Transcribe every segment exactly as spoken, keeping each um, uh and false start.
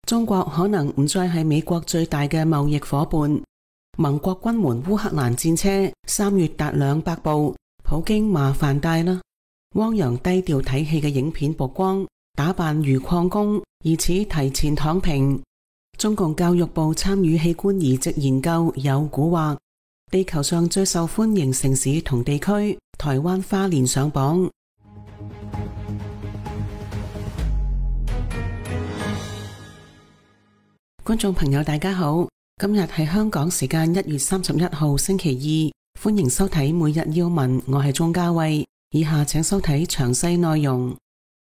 中國可能唔再係美國最大嘅貿易夥伴。盟國軍援烏克蘭戰車三月達兩百部，普京麻煩大啦。汪洋低調睇戲嘅影片曝光，打扮如礦工，疑似提前躺平。中共教育部參與器官移植研究有蠱惑。地球上最受歡迎城市同地區，台灣花蓮上榜。觀眾朋友大家好，今日係香港時間一月三十一號星期二，歡迎收睇每日要聞，我係鍾嘉慧。以下請收睇詳細內容。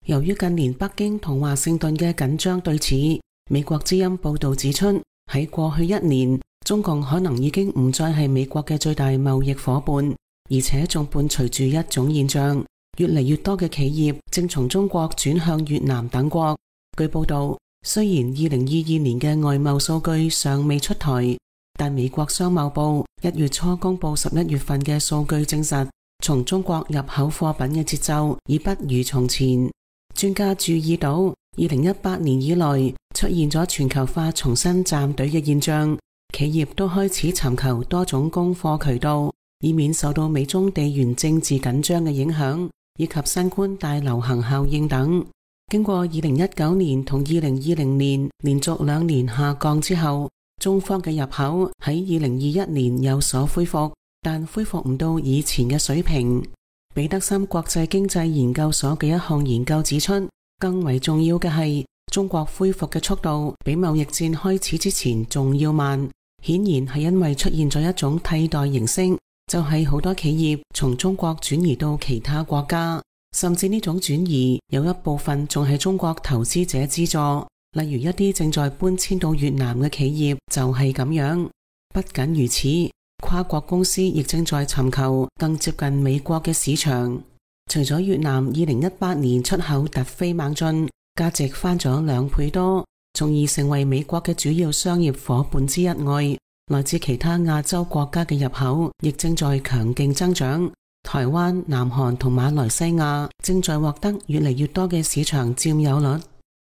由於近年北京同華盛頓嘅緊張對峙，美國之音報道指出，喺過去一年，中共可能已經唔再係美國嘅最大貿易夥伴，而且仲伴隨住一種現象，越嚟越多嘅企業正從中國轉向越南等國。據報道，雖然二零二二年嘅外貿數據尚未出台，但美國商貿部一月初公布十一月份嘅數據證實，從中國入口貨品嘅節奏已不如從前。專家注意到，二零一八年以來出現咗全球化重新站隊嘅現象，企業都開始尋求多種供貨渠道，以免受到美中地緣政治緊張嘅影響，以及新冠大流行效應等。經過二零一九年同二零二零年連續兩年下降之後，中方嘅入口喺二零二一年有所恢復，但恢復唔到以前嘅水平。彼得森國際經濟研究所嘅一項研究指出，更為重要嘅係中國恢復嘅速度比貿易戰開始之前仲要慢，顯然係因為出現咗一種替代形式，就係好多企業從中國轉移到其他國家。甚至呢種轉移有一部分仲係中國投資者資助，例如一啲正在搬遷到越南嘅企業就係咁樣。不僅如此，跨國公司亦正在尋求更接近美國嘅市場。除咗越南二零一八年出口突飛猛進，價值翻咗兩倍多，從而成為美國嘅主要商業夥伴之一外，來自其他亞洲國家嘅入口亦正在強勁增長。台灣、南韓同馬來西亞正在獲得越嚟越多嘅市場佔有率。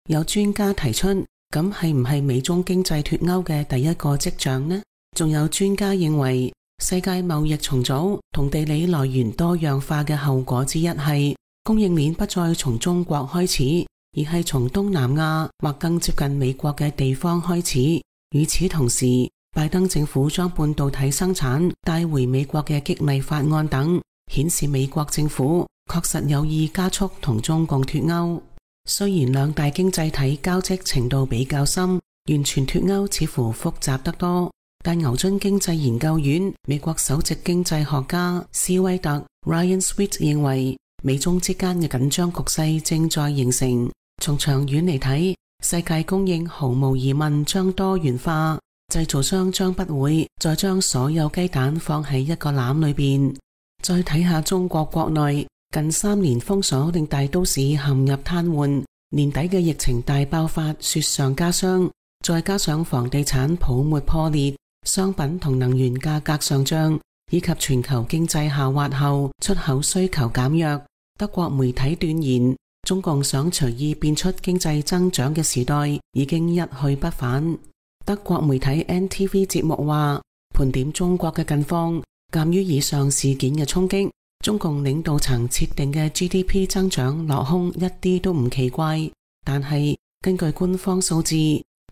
有專家提出，咁係唔係美中經濟脫鈎嘅第一個跡象呢？仲有專家認為，世界貿易重組同地理來源多樣化嘅後果之一係供應鏈不再從中國開始，而係從東南亞或更接近美國嘅地方開始。與此同時，拜登政府將半導體生產帶回美國嘅激勵法案等，顯示美國政府確實有意加速同中共脫鈎。雖然兩大經濟體交織程度比較深，完全脫鈎似乎複雜得多，但牛津經濟研究院美國首席經濟學家斯威特 Ryan Sweet 認為，美中之間嘅緊張局勢正在形成。從長遠嚟睇，世界供應毫無疑問將多元化，製造商將不會再將所有雞蛋放喺一個籃裏邊。再睇下中國國內，近三年封鎖令大都市陷入癱瘓，年底嘅疫情大爆發雪上加霜，再加上房地產泡沫破裂，商品同能源價格上漲，以及全球經濟下滑後出口需求減弱，德國媒體斷言，中共想隨意變出經濟增長嘅時代已經一去不返。德國媒體 N T V 節目話，盤點中國嘅近況，鑒於以上事件嘅衝擊，中共領導層設定嘅 G D P 增長落空一啲都唔奇怪。但係根據官方數字，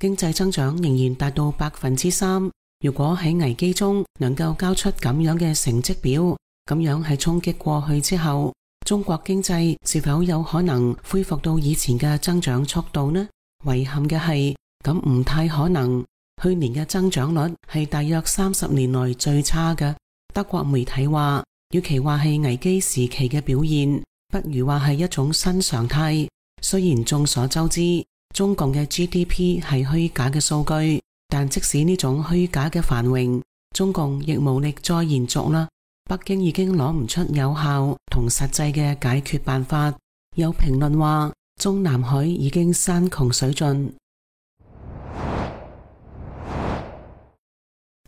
經濟增長仍然達到百分之三。如果喺危機中能夠交出咁樣嘅成績表，咁樣係衝擊過去之後，中國經濟是否有可能恢復到以前嘅增長速度呢？遺憾嘅係，咁唔太可能。去年嘅增長率係大約三十年來最差嘅。德國媒體話，與其話係危機時期嘅表現，不如話係一種新常態。雖然眾所周知，中共嘅 G D P 係虛假嘅數據，但即使呢種虛假嘅繁榮，中共亦無力再延續啦。北京已經攞唔出有效同實際嘅解決辦法。有評論話，中南海已經山窮水盡。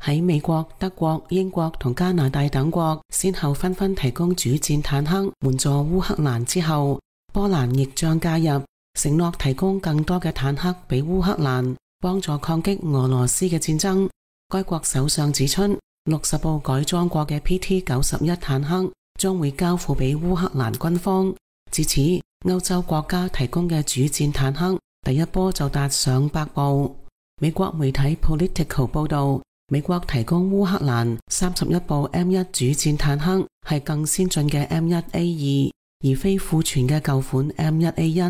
喺美國、德國、英國同加拿大等國先後紛紛提供主戰坦克援助烏克蘭之後，波蘭亦將加入。承諾提供更多嘅坦克俾烏克蘭，幫助抗擊俄羅斯嘅戰爭。該國首相指出，六十部改裝過嘅 P T 九十一坦克將會交付俾烏克蘭軍方。至此，歐洲國家提供嘅主戰坦克第一波就達上百部。美國媒體 Politico 報道，美國提供烏克蘭三十一部 M 一主戰坦克，係更先進嘅 M 一 A 二，而非庫存嘅舊款 M 一 A 一，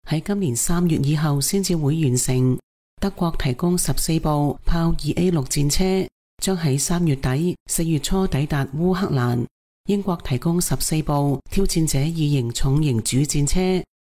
喺今年三月以後先至會完成。德國提供十四部豹二 A 六戰車，將喺三月底、四月初抵達烏克蘭。英國提供十四部挑戰者二型重型主戰車，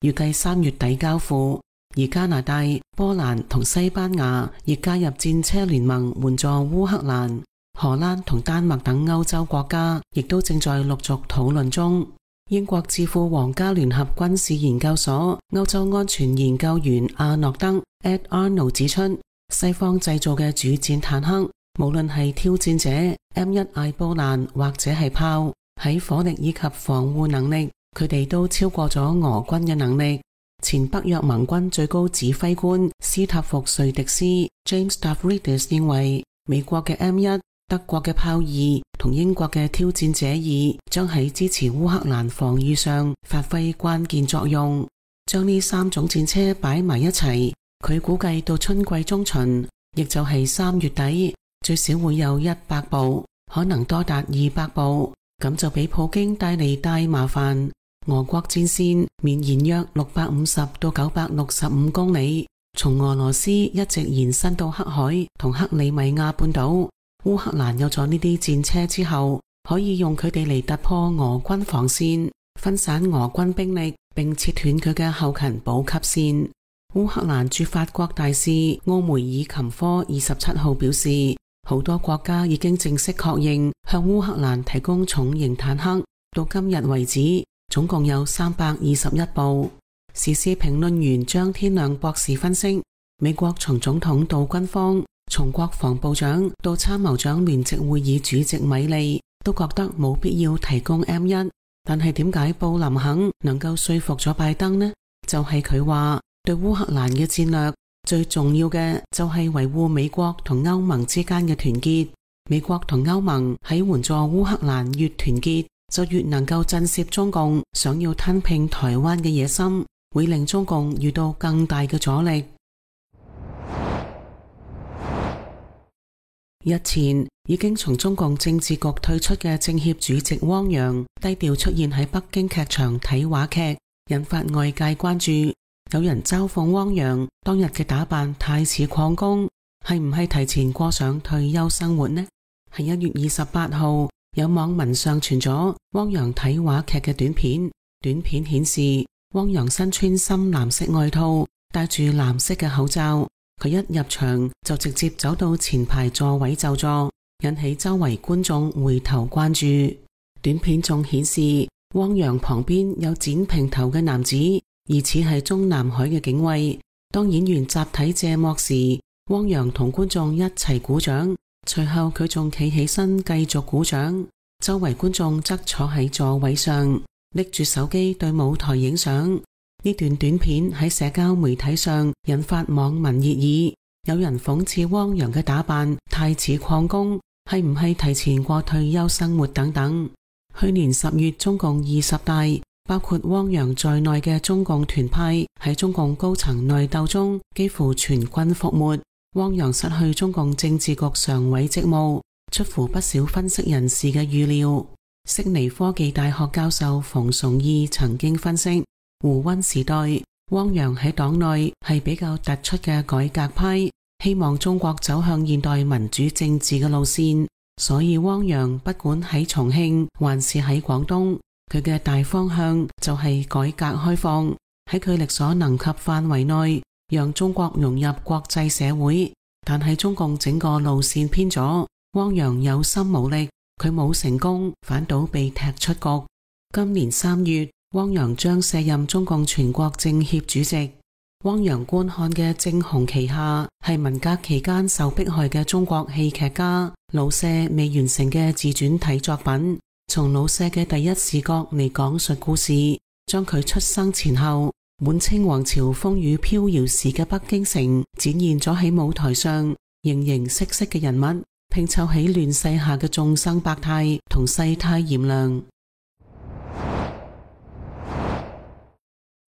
預計三月底交付。而加拿大、波蘭同西班牙亦加入戰車聯盟援助烏克蘭。荷蘭同丹麥等歐洲國家亦都正在陸續討論中。英國智庫皇家聯合軍事研究所歐洲安全研究員阿諾德 Ed Arnold 指出，西方製造嘅主戰坦克，無論係挑戰者、M 一 艾布蘭或者係豹，喺火力以及防護能力，佢哋都超過咗俄軍嘅能力。前北約盟軍最高指揮官斯塔福瑞迪斯 James Stavridis 認為，美國嘅 M 一、德國嘅豹二同英國嘅挑戰者二將喺支持烏克蘭防禦上發揮關鍵作用。將呢三種戰車擺埋一齊，佢估計到春季中旬，亦就係三月底，最少會有一百部，可能多達二百部，咁就俾普京帶嚟大麻煩。俄國戰線綿延約六百五十到九百六十五公里，從俄羅斯一直延伸到黑海同克里米亞半島。烏克蘭有咗呢啲戰車之後，可以用佢哋嚟突破俄軍防線，分散俄軍兵力，並切斷佢嘅後勤補給線。烏克蘭駐法國大使奧梅爾琴科二十七號表示，好多國家已經正式確認向烏克蘭提供重型坦克，到今日為止，總共有三百二十一部。時事評論員張天亮博士分析，美國從總統到軍方，從國防部長到參謀長聯席會議主席米利，都覺得冇必要提供 M 一。但係點解布林肯能夠說服咗拜登呢？就係佢話，對烏克蘭嘅戰略最重要嘅就係維護美國同歐盟之間嘅團結。美國同歐盟喺援助烏克蘭越團結，就越能夠震懾中共想要吞併台灣嘅野心，會令中共遇到更大嘅阻力。日前已經從中共政治局退出嘅政協主席汪洋低調出現喺北京劇場睇話劇，引發外界關注。有人嘲諷汪洋當日嘅打扮太似礦工，係唔係提前過上退休生活呢？喺一月二十八號，有網民上傳咗汪洋睇話劇嘅短片，短片顯示汪洋身穿深藍色外套，戴住藍色嘅口罩。佢一入場就直接走到前排座位就坐，引起周圍觀眾回頭關注。短片仲顯示汪洋旁邊有剪平頭嘅男子，疑似係中南海嘅警衛。當演員集體謝幕時，汪洋同觀眾一齊鼓掌，隨後佢仲企起身繼續鼓掌。周圍觀眾則坐喺座位上，拎住手機對舞台影相。呢段短片喺社交媒體上引發網民熱議，有人諷刺汪洋嘅打扮太似礦工，係唔係提前過退休生活等等。去年十月中共二十大，包括汪洋在內嘅中共團派喺中共高層內鬥中幾乎全軍覆沒，汪洋失去中共政治局常委職務，出乎不少分析人士嘅預料。悉尼科技大學教授馮崇義曾經分析，胡溫時代，汪洋喺黨內係比較突出嘅改革派，希望中國走向現代民主政治嘅路線，所以汪洋不管喺重慶還是喺廣東，佢嘅大方向就係改革開放，喺佢力所能及範圍內讓中國融入國際社會。但係中共整個路線偏咗，汪洋有心無力，佢冇成功，反倒被踢出局。今年三月，汪洋將卸任中共全國政協主席。汪洋觀看嘅正紅旗下係文革期間受迫害嘅中國戲劇家老舍未完成嘅自傳體作品，從老舍嘅第一視角嚟講述故事，將佢出生前後、滿清皇朝風雨飄搖時嘅北京城展現咗喺舞台上，形形色色嘅人物拼湊起亂世下嘅眾生百態同世態炎涼。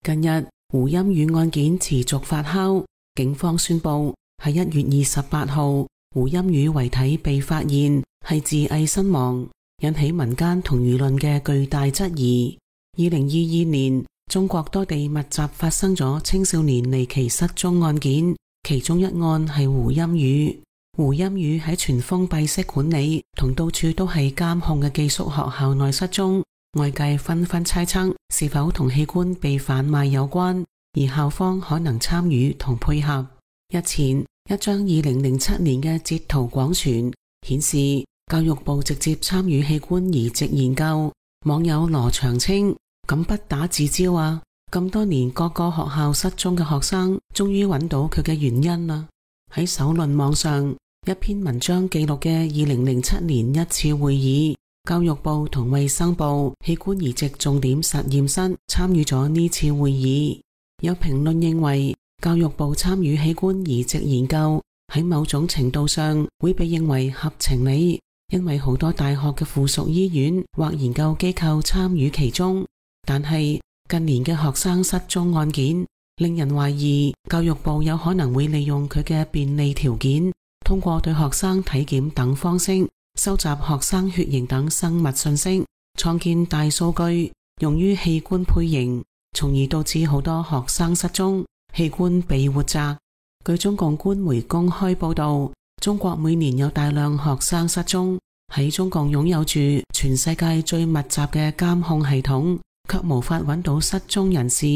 近日胡鑫宇案件持續發酵，警方宣布喺一月二十八號，胡鑫宇遺體被發現係自縊身亡，引起民間同輿論嘅巨大質疑。二零二二年，中國多地密集發生咗青少年離奇失蹤案件，其中一案係胡鑫宇。胡鑫宇喺全封閉式管理同到處都係監控嘅寄宿學校內失蹤，外界紛紛猜測是否同器官被販賣有關，而校方可能參與同配合。日前，一張二零零七年嘅截圖廣傳，顯示教育部直接參與器官移植研究。網友羅長青：咁不打自招啊！咁多年各個學校失蹤嘅學生，終於揾到佢嘅原因啦。喺首論網上，一篇文章記錄嘅二零零七年一次會議，教育部同衛生部器官移植重點實驗室參與咗呢次會議。有評論認為，教育部參與器官移植研究喺某種程度上會被認為合情理，因為好多大學嘅附屬醫院或研究機構參與其中。但係近年嘅學生失蹤案件，令人懷疑教育部有可能會利用佢嘅便利條件，通過對學生體檢等方式，收集學生血型等生物信息，創建大數據，用於器官配型，從而導致好多學生失蹤，器官被活摘。據中共官媒公開報道，中國每年有大量學生失蹤，喺中共擁有住全世界最密集嘅監控系統，卻無法揾到失蹤人士，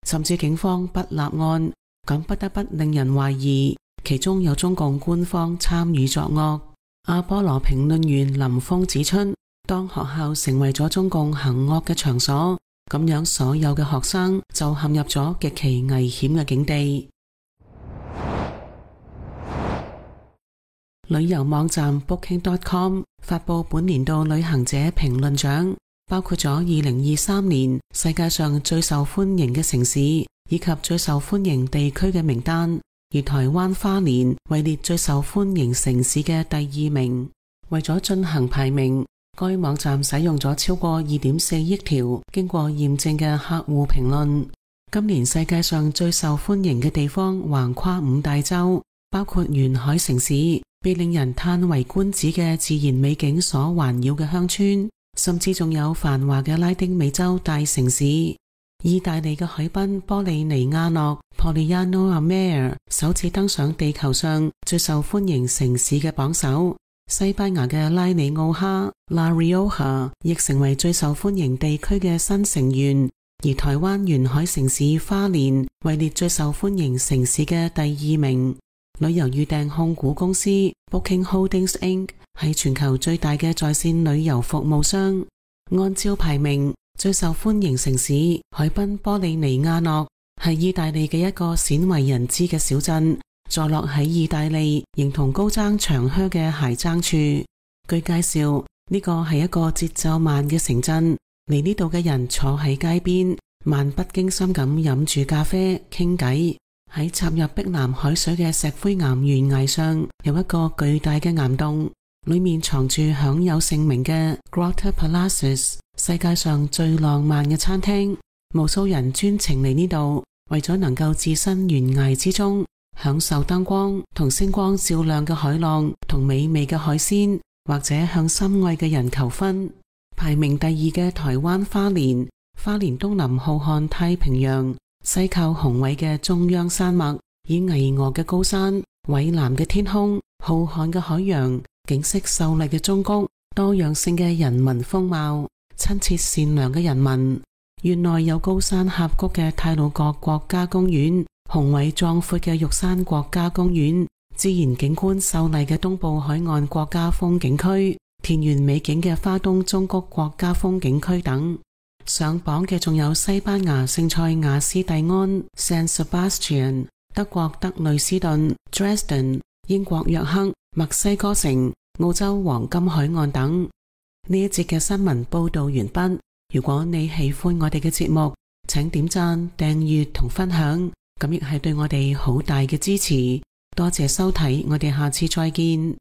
甚至警方不立案，咁不得不令人懷疑其中有中共官方參與作惡。阿波羅評論員林峰指出，當學校成為咗中共行惡嘅場所，咁樣所有嘅學生就陷入咗極其危險嘅境地。旅遊網站 Booking dot com 發佈本年度旅行者評論獎，包括咗二零二三年世界上最受歡迎嘅城市以及最受歡迎地區嘅名單，而台灣花蓮位列最受歡迎城市嘅第二名。為咗進行排名，該網站使用咗超過二點四億條經過驗證嘅客戶評論。今年世界上最受歡迎嘅地方橫跨五大洲，包括沿海城市，被令人嘆為觀止嘅自然美景所環繞嘅鄉村，甚至仲有繁華嘅拉丁美洲大城市。意大利嘅海濱波利尼亞諾 Polignano a Mare 首次登上地球上最受歡迎城市嘅榜首。西班牙嘅拉里奧哈 La Rioja 亦成為最受歡迎地區嘅新成員，而台灣沿海城市花蓮位列最受歡迎城市嘅第二名。旅遊預訂控股公司 Booking Holdings Incorporated 係全球最大嘅在線旅遊服務商。按照排名，最受歡迎城市海濱波利尼亞諾係意大利嘅一個鮮為人知嘅小鎮，坐落喺意大利形同高踭長靴嘅鞋踭處。據介紹，呢個係一個節奏慢嘅城鎮，嚟呢度嘅人坐喺街邊，漫不經心咁飲住咖啡傾偈。喺插入碧藍海水嘅石灰岩懸崖上，有一個巨大嘅岩洞，裏面藏住享有盛名嘅 Grotta Palaces， 世界上最浪漫嘅餐廳。無數人專程嚟呢度，為咗能夠置身懸崖之中，享受燈光同星光照亮嘅海浪同美味嘅海鮮，或者向心愛嘅人求婚。排名第二嘅台灣花蓮，花蓮東臨浩瀚太平洋，西靠雄偉嘅中央山脈，以巍峨嘅高山、蔚藍嘅天空、浩瀚嘅海洋、景色秀麗嘅中谷、多樣性嘅人民風貌、親切善良嘅人民。縣內有高山峽谷嘅太魯閣國家公園、雄偉壯闊嘅玉山國家公園、自然景觀秀麗嘅東部海岸國家風景區、田園美景嘅花東中谷國家風景區等。上榜嘅仲有西班牙聖塞瓦斯蒂安 San Sebastian、 德國德累斯頓 Dresden、 英國約克、墨西哥城、澳洲黃金海岸等。呢一節嘅新聞報道完畢。如果你喜歡我哋嘅節目，請點讚、訂閱同分享，咁亦係對我哋好大嘅支持。多謝收睇，我哋下次再見。